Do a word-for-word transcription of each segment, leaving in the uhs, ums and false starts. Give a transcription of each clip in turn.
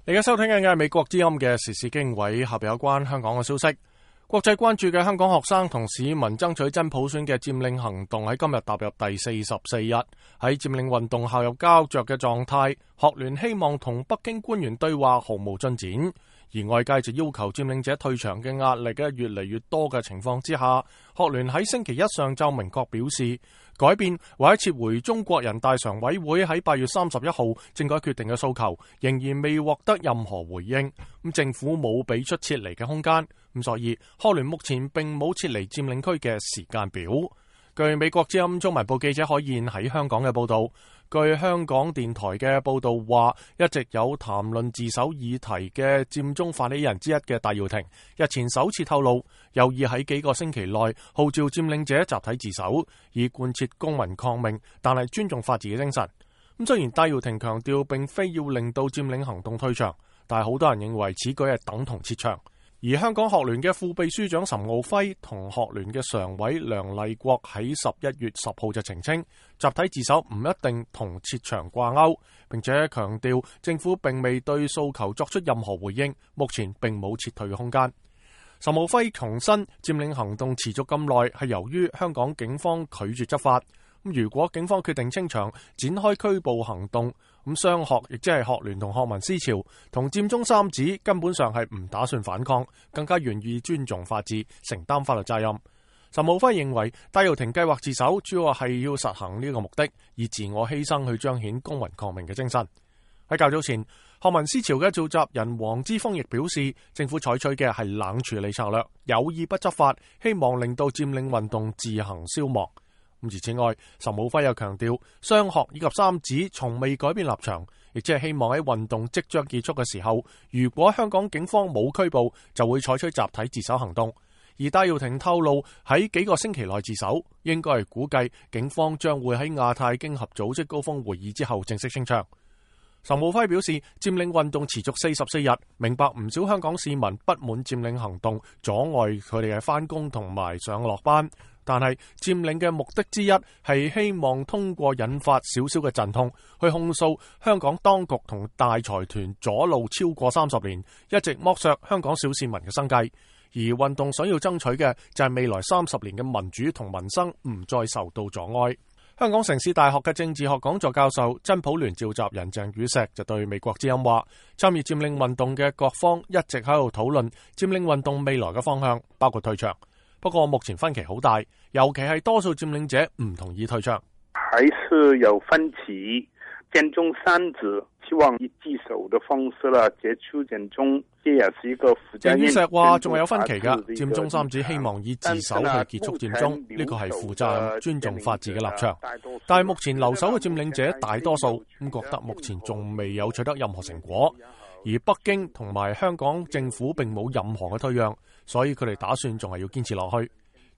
你而家收聽緊嘅係美國之音嘅時事經緯，下邊有關香港嘅消息。國際關注嘅香港學生同市民爭取真普選嘅佔領行動喺今日踏入第四十四日，喺佔領運動陷入膠着嘅狀態，學聯希望同北京官員對話毫無進展，而外界就要求佔領者退場嘅壓力嘅越嚟越多嘅情況之下，學聯喺星期一上晝明確表示，改變或者撤回中國人大常委會喺八月三十一號政改決定嘅訴求，仍然未獲得任何回應。咁政府冇俾出撤離嘅空間，咁所以學聯目前並冇撤離佔領區嘅時間表。據美國之音中文部記者海燕喺香港嘅報道，據香港電台嘅報道話，一直有談論自首議題嘅佔中發起人之一嘅戴耀廷，日前首次透露有意喺幾個星期內號召佔領者集體自首，以貫徹公民抗命，但係尊重法治嘅精神。咁雖然戴耀廷強調並非要令到佔領行動退場，但係好多人認為此舉係等同撤場。而香港學聯嘅副秘書長岑敖暉同學聯嘅常委梁麗國喺十一月十號就澄清，集體自首唔一定同撤場掛鈎，並且強調政府並未對訴求作出任何回應，目前並冇撤退嘅空間。岑敖暉重申，佔領行動持續咁耐係由於香港警方拒絕執法。咁如果警方決定清場，展開拘捕行動，咁雙學亦即係學聯同學民思潮同佔中三子根本上係唔打算反抗，更加願意尊重法治，承擔法律責任。岑敖暉認為戴耀廷計劃自首主要係要實行呢個目的，以自我犧牲去彰顯公民抗命嘅精神。喺較早前，學民思潮嘅召集人黃之鋒亦表示，政府採取嘅係冷處理策略，有意不執法，希望令到佔領運動自行消亡。而此外，岑敖暉又強調，雙學以及三子從未改變立場，亦即係希望喺運動即將結束嘅時候，如果香港警方冇拘捕，就會採取集體自首行動。而戴耀廷透露喺幾個星期內自首，應該係估計警方將會喺亞太經合組織高峰會議之後正式清場。岑敖暉表示，佔領運動持續四十四日，明白唔少香港市民不滿佔領行動阻礙佢哋嘅返工同埋上落班，但係佔領嘅目的之一係希望通過引發少少嘅陣痛，去控訴香港當局同大財團阻路超過三十年，一直剝削香港小市民嘅生計。而運動想要爭取嘅就係未來三十年嘅民主同民生唔再受到阻礙。香港城市大學嘅政治學講座教授、真普聯召集人鄭宇碩就對美國之音話，參與佔領運動嘅各方一直喺度討論佔領運動未來嘅方向，包括退場。不過目前分歧好大，尤其係多數佔領者唔同意退場。還是有分歧，佔中三子希望以自首的方式啦結束佔中，這也是一個附加。鄭宇碩話仲有分歧噶，佔中三子希望以自首去結束佔中，呢個係負責任、尊重法治嘅立場。但係目前留守嘅佔領者大多數咁覺得目前仲未有取得任何成果，而北京同埋香港政府並冇任何嘅退讓，所以佢哋打算仲係要堅持落去。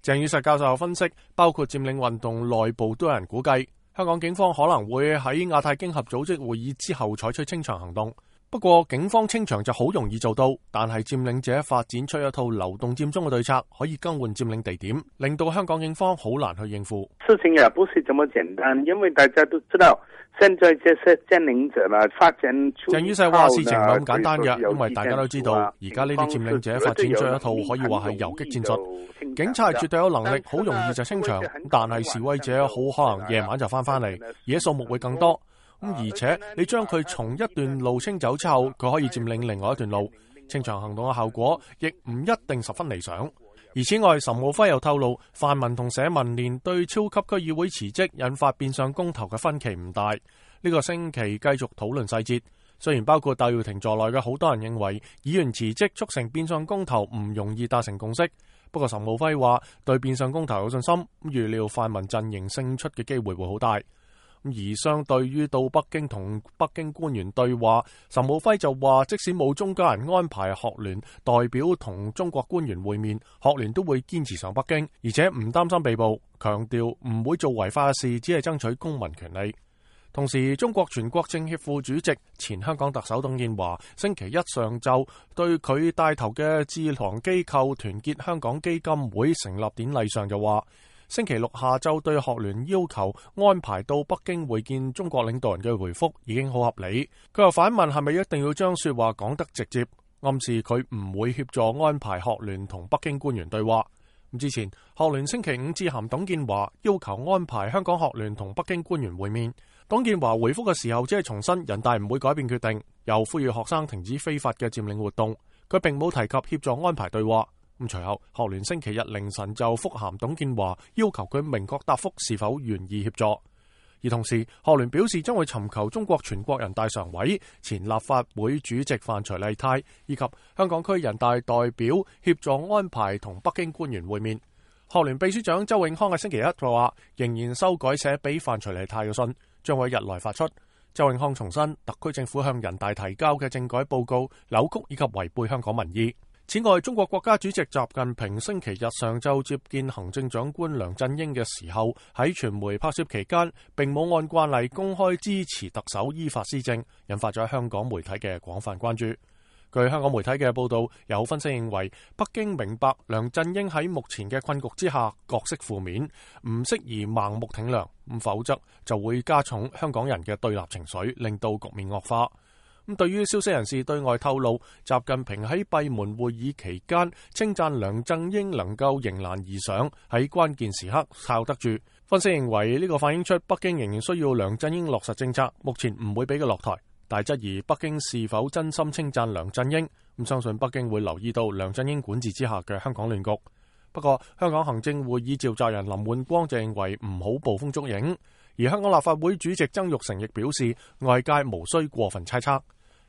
鄭宇碩教授分析，包括佔領運動內部都有人估計，香港警方可能會喺亞太經合組織會議之後採取清場行動。不過警方清場就好容易做到，但係佔領者發展出一套流動佔中嘅對策，可以更換佔領地點，令到香港警方好難去應付。事情也不是這麼簡單，因為大家都知道，現在這些佔領者啦發展出。鄭宇碩話事情唔係咁簡單嘅，因為大家都知道，而家呢啲佔領者發展出一套可以話係游擊戰術，警察係絕對有能力，好容易就清場，但係示威者好可能夜晚就翻返嚟，而且數目會更多。咁而且你將佢從一段路清走之後，佢可以佔領另外一段路，清場行動嘅效果亦唔一定十分理想。而此外，岑敖暉又透露，泛民同社民連對超級區議會辭職引發變相公投嘅分歧唔大，呢個星期繼續討論細節。雖然包括戴耀廷在內嘅好多人認為議員辭職促成變相公投唔容易達成共識，不過岑敖暉話對變相公投有信心，預料泛民陣營勝出嘅機會會好大。而相對於到北京同北京官員對話，岑敖暉就話即使冇中間人安排學聯代表同中國官員會面，學聯都會堅持上北京，而且唔擔心被捕，強調唔會做違法嘅事，只係爭取公民權利。同時，中國全國政協副主席、前香港特首董建華星期一上晝對佢帶頭嘅智囊機構團結香港基金會成立典禮上就話，星期六下晝對學聯要求安排到北京會見中國領導人嘅回覆已經好合理。佢又反問係咪一定要將說話講得直接，暗示佢唔會協助安排學聯同北京官員對話。之前學聯星期五致函董建華，要求安排香港學聯同北京官員會面。董建華回覆嘅時候只係重申人大唔會改變決定，又呼籲學生停止非法嘅佔領活動。佢並冇提及協助安排對話。咁隨後學聯星期日凌晨就覆函董建華，要求佢明確答覆是否願意協助。而同時學聯表示將會尋求中國全國人大常委、前立法會主席范徐麗泰以及香港區人大代表協助安排同北京官員會面。學聯秘書長周永康喺星期一就話，仍然修改寫俾范徐麗泰嘅信，將會日內發出。周永康重申，特區政府向人大提交嘅政改報告扭曲以及違背香港民意。此外，中國國家主席習近平星期日上晝接見行政長官梁振英嘅時候，喺傳媒拍攝期間並冇按慣例公開支持特首依法施政，引發咗香港媒體嘅廣泛關注。據香港媒體嘅報道，有分析認為北京明白梁振英喺目前嘅困局之下角色負面，唔適宜盲目挺梁，咁否則就會加重香港人嘅對立情緒，令到局面惡化。咁對於消息人士對外透露，習近平喺閉門會議期間稱讚梁振英能夠迎難而上，喺關鍵時刻靠得住。分析認為呢個反映出北京仍然需要梁振英落實政策，目前唔會俾佢落台。但質疑北京是否真心稱讚梁振英，咁相信北京會留意到梁振英管治之下嘅香港亂局。不過香港行政會議召集人林煥光就認為唔好捕風捉影，而香港立法會主席曾鈺成亦表示外界無需過分猜測。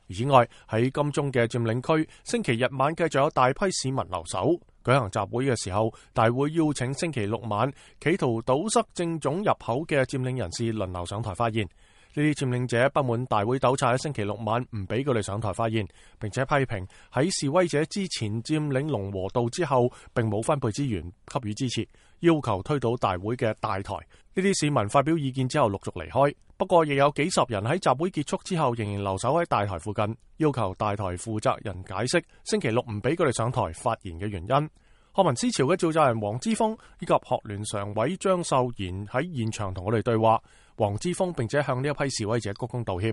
此外，喺金鐘嘅佔領區，星期日晚繼續有大批市民留守舉行集會嘅時候，大會邀請星期六晚企圖堵塞政總入口嘅佔領人士輪流上台發言。呢啲佔領者不滿大會糾察喺星期六晚唔俾佢哋上台發言，並且批評喺示威者之前佔領龍和道之後並冇分配資源給予支持，要求推倒大會嘅大台。呢啲市民發表意見之後陸續離開，不過亦有幾十人喺集會結束之後仍然留守喺大台附近，要求大台負責人解釋星期六唔俾佢哋上台發言嘅原因。學民思潮嘅召集人黃之鋒以及學聯常委張秀賢喺現場同我哋對話。黃之鋒並且向呢一批示威者鞠躬道歉。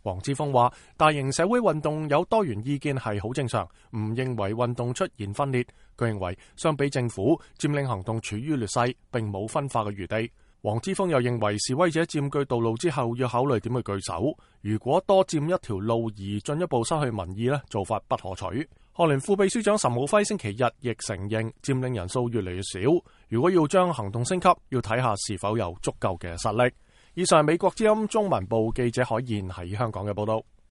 黃之鋒話：大型社會運動有多元意見係好正常，唔認為運動出現分裂。佢認為相比政府，佔領行動處於劣勢，並冇分化嘅餘地。黃之鋒又認為示威者佔據道路之後要考慮點去據守，如果多佔一條路而進一步失去民意呢，做法不可取。學聯副秘書長岑敖暉星期日亦承認佔領人數越嚟越少，如果要將行動升級，要睇下是否有足夠嘅實力。以上係美國之音中文部記者海燕喺香港嘅報道。